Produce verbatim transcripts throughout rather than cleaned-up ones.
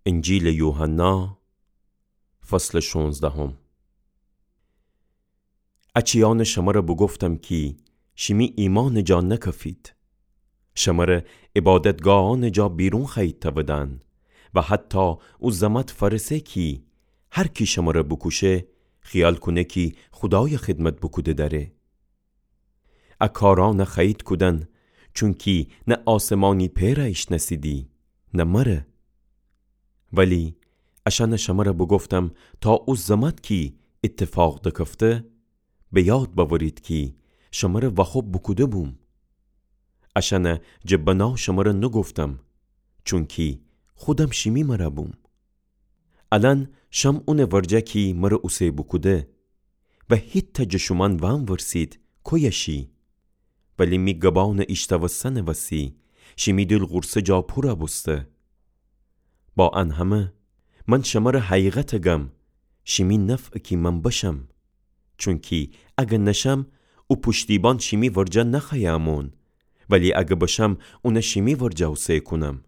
انجیلٚ یوحنا، فصلٚ شونزدهم. ا چیأنٚ شمر بوگفتم کی شیمی ایمأنٚ جا نکفید. شمر عبادتگاهأنٚ جا بیرون خوأیید تودن و حتی او زمأت فأرسه کی هر کی شمر بوکوشه، خیال کونه کی خودایٚ خدمت بوکوده دأره. ا کارأن خوأیید کودن، چونکی نه آسمانی پئر ایشنأسیدی، نه مر. ولی اشأن شمر بوگفتم تا او زمأت کی ایتفاق دکفته، به یاد بأورید کی شمر واخوب بوکوده بوم. اشأن جٚه بنا شمر نوگفتم، چونکی خودم شیمی مر بوم. الأن شم اونٚ ورجه کی مر اوسه بوکوده و هیتأ جٚه شومأن وأنورسید کویه شی. ولی می گبأنٚ ایشتأوستنٚ وسی شیمی دیل غورصه جا پور بوسته. با ان همه، من شمر حقیقت گم، شیمی نفع کی من بشم. چونکی اگر نشم، او پوشتیبان شیمی ورجه نخوأیه امون، ولی اگر بشم، اون شیمی ورجه اوسه کونم.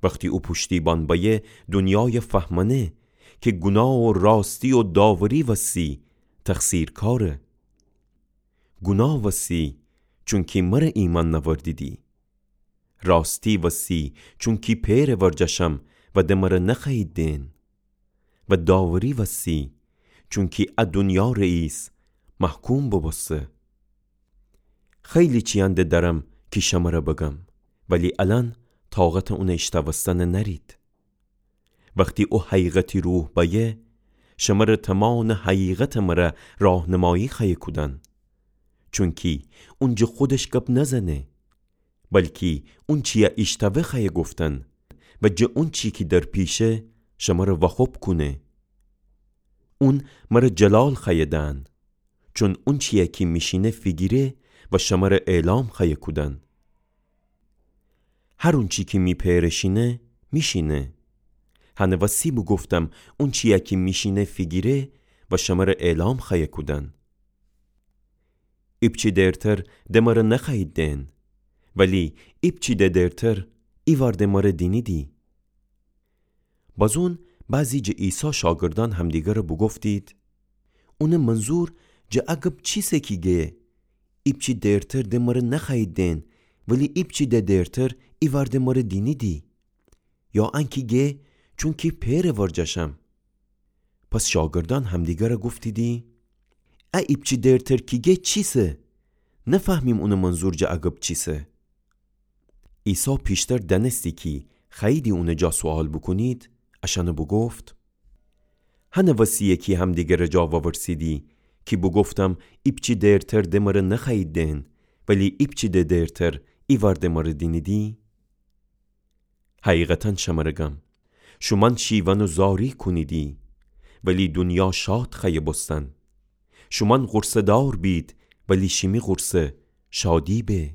وختی او پوشتیبان بأیه، دونیای فهمأنه کی گوناه و راستی و داوری وسی تقصیرکاره. گوناه وسی، چونکی مر ایمأن نأوردیدی. راستی وسی، چونکی پئرٚ ورجه شم و د مر نخوأیید دئن. و داوری وسی، چونکی ا دونیا رئیس محکوم بوبوسته. خیلی چیأن د دأرم کی شمر بگم، ولی الأن طاقتٚ اون ایشتأوستن نأرید. وختی او حقیقتی روح بأیه، شمر تومانٚ حقیقتٚ مر راهنمایی خوأیه کودن. چونکی اون جٚه خودش گب نزنه، بلکی اونچیی ایشتأوه خوأیه گفتن و جٚه اونچی کی در پیشه شمر واخوب کونه. اون مر جلال خوأیه دأن، چون اونچیی کی میشینه فیگیره و شمر اعلام خوأیه کودن. هر اونچی کی می پئر شینه، میشینه. هنٚ وسی بوگفتم اونچیی کی میشینه فیگیره و شمر اعلام خوأیه کودن. ایپچی دیرتر د مر نخوأیید دئن، ولی ایپچی د دیرتر ایوار د مر دینیدی. بازون بعضی جٚه عیسی شاگردأن همدیگر بوگفتید: اونٚ منظور جٚه ا گب چیسه کی گه، ایپچی دیرتر د مر نخوأیید دئن، ولی ایپچی د دیرتر ایوار د مر دینیدی؟ یا انکی گه، چونکی پئرٚ ورجه شم؟ پس شاگردأن همدیگر گفتیدی: ا ایپچی دیرتر کی گه چیسه؟ نفهمیم اونٚ منظور جٚه ا گب چیسه. عیسی پیشتر دأنستی کی خوأییدی اونٚ جا سوال بوکونید، اشأن بوگفت: هنٚ وسیه کی همدیگرٚ جا وورسیدی کی بوگفتم ایپچی دیرتر د مر نخوأیید دئن، ولی ایپچی د دیرتر ایوار د مر دینیدی؟ حقیقتا شمر گم، شومأن شیون و زاری کونیدی، ولی دونیا شاد خوأیه بوستن. شومأن غورصه‌دار بید، ولی شیمی غورصه شادی به.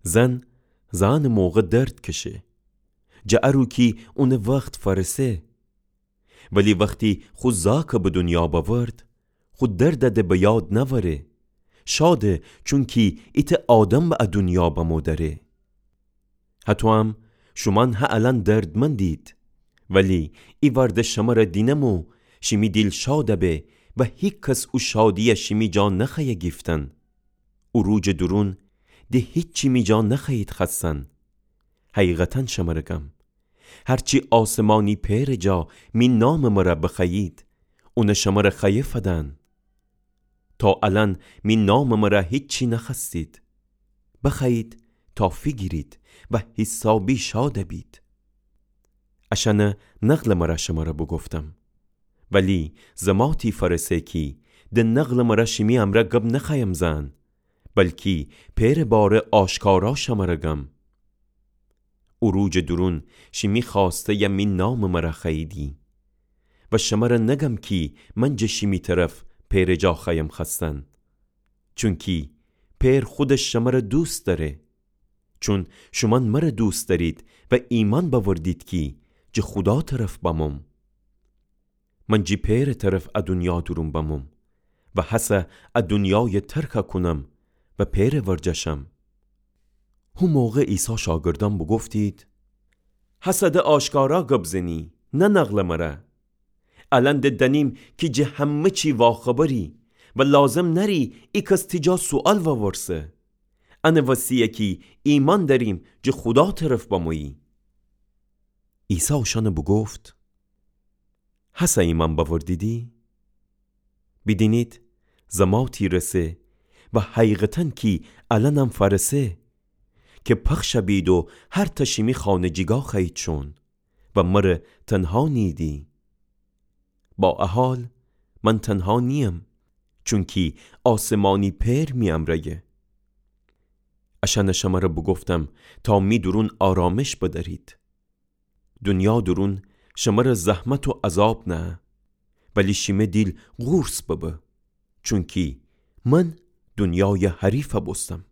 زن زأنٚ موقع درد کشه، جٚه ا رو کی اونٚ وخت فأرسه. ولی وختی خو زأکَ به دونیا بأورد، خو درد د به یاد نأوره. شاده، چونکی ایتأ آدم به ا دونیا بمو دأره. هطوام شومأن هه الأن دردمندید، ولی ایوار د شمر دینمو شیمی دیل شاد به و هیکس او شادیی شیمی جا نخوأیه گیفتن. او روجٚ دورون د هیچی می جا نخوأیید خوأستن. حقیقتا شمر گم، هرچی آسمانی پئرٚ جا می نامٚ مر بخوأیید، اون شمر خوأیه فدن. تا الأن می نامٚ مر هیچی نخوأستید. بخوأیید تا فیگیرید و حیسابی شاد بید. اشأن نقلٚ مر شمر بوگفتم. ولی زماتی فأرسه کی د نقلٚ مر شیمی امرأ گب نخوأیم زأن، بلکی پئرٚ باره آشکارا شمر گم. او روجٚ دورون شیمی خوأسته‌ی می نامٚ مر خوأییدی. و شمر نگم کی من جٚه شیمی طرف پئرٚ جا خوأیم خوأستن. چونکی پئر خودش شمر دوست دأره. چون شومأن مر دوست دأرید و ایمأن بأوردید کی جٚه خودا طرف بموم. من جٚه پئرٚ طرف ا دونیا دورون بموم و هسه ا دونیای ترک کونم و پئرٚ ورجه شم. هو موقع عیسی شاگردأن بوگفتید: هسه د آشکارا گب زنی، نه نقلٚ مره. الأن د دأنیم کی جٚه همه چی واخبری و لازم نأری ایکس تی جا سوئال وورسه. انٚ وسیه کی ایمأن دأریم جٚه خودا طرف بمویی. عیسی اوشأن بوگفت: هسه ایمأن بأوردیدی؟ بیدینید، زماتی رسه و حقیقتاً کی الأنم فأرسه کی پخش بید و هر تأ شیمی خانه جیگا خوأیید شون و مره تنها نیییدی. با ا حال من تنها نییم، چونکی آسمانی پئر می امرأیه. اشأن شمره بوگفتم تا می دورون آرامش بدأرید. دونیا دورون شمره زحمت و عذاب نهه، ولی شیمه دیل قورص ببه، چونکی من دونیای حریف بوستم.